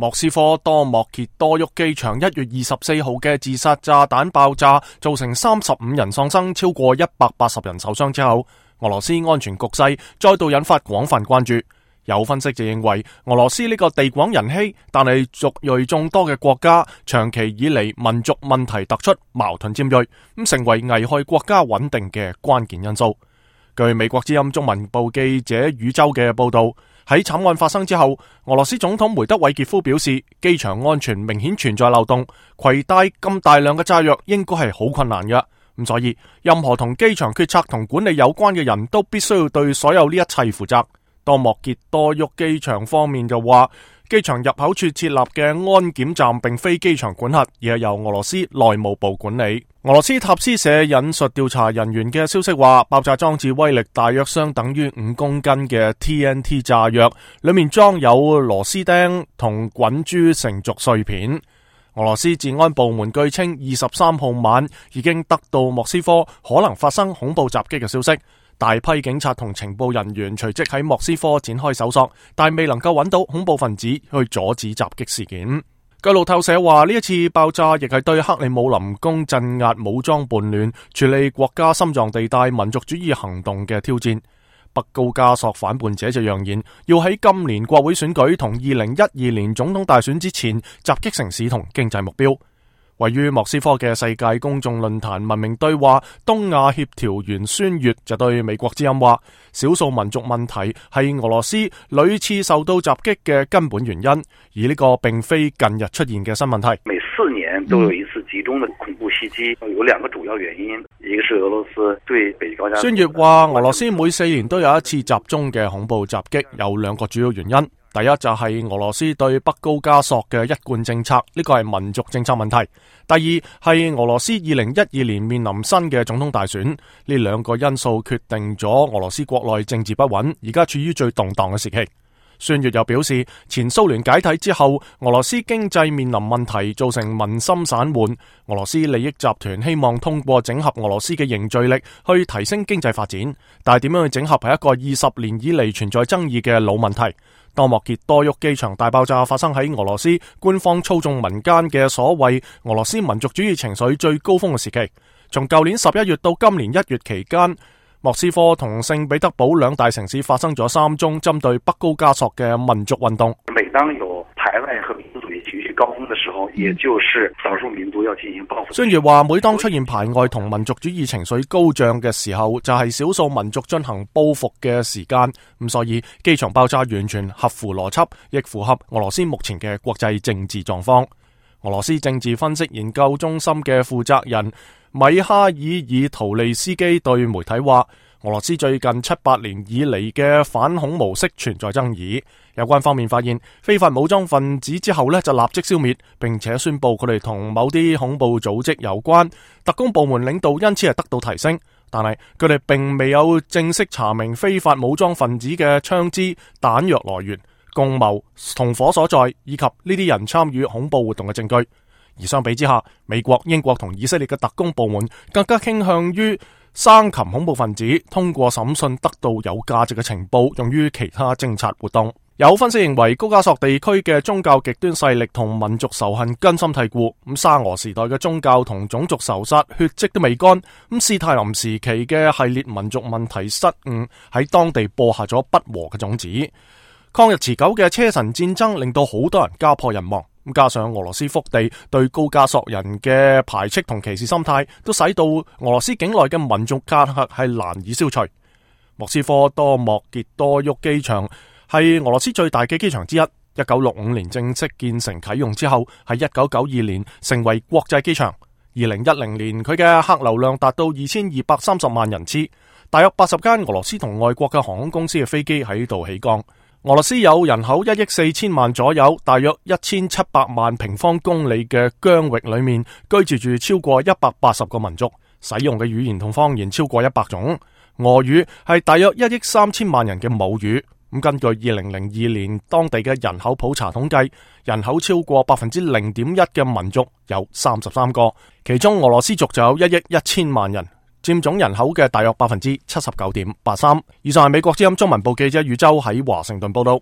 莫斯科多莫傑多沃機場1月24號嘅自殺炸彈爆炸，造成35人喪生，超過180人受傷之後，俄羅斯安全局勢再度引發廣泛關注。有分析就認為，俄羅斯呢個地廣人稀但係族裔眾多嘅國家，長期以嚟民族問題突出，矛盾尖銳，成為危害國家穩定嘅關鍵因素。據美國之音中文部記者宇宙嘅報道，喺慘案發生之後，俄羅斯總統梅德韋傑夫表示，機場安全明顯存在漏洞，攜帶咁大量嘅炸藥應該係好困難嘅。咁所以，任何同機場決策同管理有關嘅人都必須要對所有呢一切負責。多莫傑多沃機場方面就話，機場入口處設立嘅安檢站並非機場管轄，而係由俄羅斯內務部管理。俄羅斯塔斯社引述調查人員嘅消息話，爆炸裝置威力大約相等於5公斤嘅 TNT 炸藥，裏面裝有螺絲釘同滾珠成軸碎片。俄羅斯治安部門據稱23號晚已經得到莫斯科可能發生恐怖襲擊嘅消息，大批警察同情報人員隨即喺莫斯科展開搜索，但未能夠揾到恐怖分子去阻止襲擊事件。據路透社話，呢一次爆炸亦係對克里姆林宮鎮壓武裝叛亂、處理國家心臟地帶民族主義行動嘅挑戰。北高加索反叛者就揚言，要喺今年國會選舉同2012年總統大選之前襲擊城市同經濟目標。位於莫斯科嘅世界公眾論壇文明對話東亞協調員孫越就對美國之音話，少數民族問題係俄羅斯屢次受到襲擊嘅根本原因，而呢個並非近日出現嘅新問題。每4年都有一次集中的恐怖襲擊，有2個主要原因，一個是俄羅斯對北高加索。孫越話，俄羅斯每4年都有一次集中嘅恐怖襲擊，有2個主要原因。第一就係俄羅斯對北高加索嘅一貫政策，呢個係民族政策問題。第二係俄羅斯2012年面臨新嘅總統大選，呢2個因素決定咗俄羅斯國內政治不穩，而家處於最動盪嘅時期。孫越又表示，前蘇聯解體之後，俄羅斯經濟面臨問題，造成民心散緩。俄羅斯利益集團希望通過整合俄羅斯嘅凝聚力去提升經濟發展，但係點樣去整合係一個20年以嚟存在爭議嘅老問題。多莫傑多沃機場大爆炸發生喺俄羅斯官方操縱民間嘅所謂俄羅斯民族主義情緒最高峰嘅時期，從舊年11月到今年1月期間，莫斯科同聖彼得堡2大城市發生咗3宗針對北高加索嘅民族運動。每當有排外和民族主義情緒高峰嘅時候，也就是少數民族要進行報復。孫越話，每當出現排外同民族主義情緒高漲嘅時候，就係少數民族進行報復嘅時間。咁所以機場爆炸完全合乎邏輯，亦符合俄羅斯目前嘅國際政治狀況。俄羅斯政治分析研究中心嘅負責人米哈爾爾圖利斯基對媒體話，俄羅斯最近7-8年以嚟嘅反恐模式存在爭議，有關方面發現非法武裝分子之後就立即消滅，並且宣布佢哋同某啲恐怖組織有關，特工部門領導因此係得到提升，但係佢哋並未有正式查明非法武裝分子嘅槍支、彈藥來源、共謀同伙所在，以及呢啲人參與恐怖活動嘅證據。而相比之下，美國、英國同以色列嘅特工部門更加傾向於生擒恐怖分子，通過審訊得到有價值嘅情報，用於其他偵察活動。有分析認為，高加索地區嘅宗教極端勢力同民族仇恨根深蒂固。沙俄時代嘅宗教同種族仇殺血跡都未乾。斯泰林時期嘅系列民族問題失誤喺當地播下咗不和嘅種子。抗日持久嘅車臣戰爭令到好多人家破人亡。加上俄羅斯腹地對高加索人嘅排斥同歧視心態，都使到俄羅斯境內嘅民族隔閡係難以消除。莫斯科多莫傑多沃機場係俄羅斯最大嘅機場之一，1965年正式建成啟用之後，喺1992年成為國際機場。2010年佢嘅客流量達到2230萬人次，大約80間俄羅斯同外國嘅航空公司嘅飛機喺度起降。俄羅斯有人口1億4千萬左右，大約1700萬平方公里嘅疆域裏面居住住超過180個民族，使用嘅語言同方言超過100種。俄語係大約1億3千萬人嘅母語。根據2002年當地嘅人口普查統計，人口超過 0.1% 嘅民族有33個，其中俄羅斯族就有1億1千萬人，佔總人口嘅大約 79.83%。以上係美國之音中文部記者宇宙喺華盛頓報道。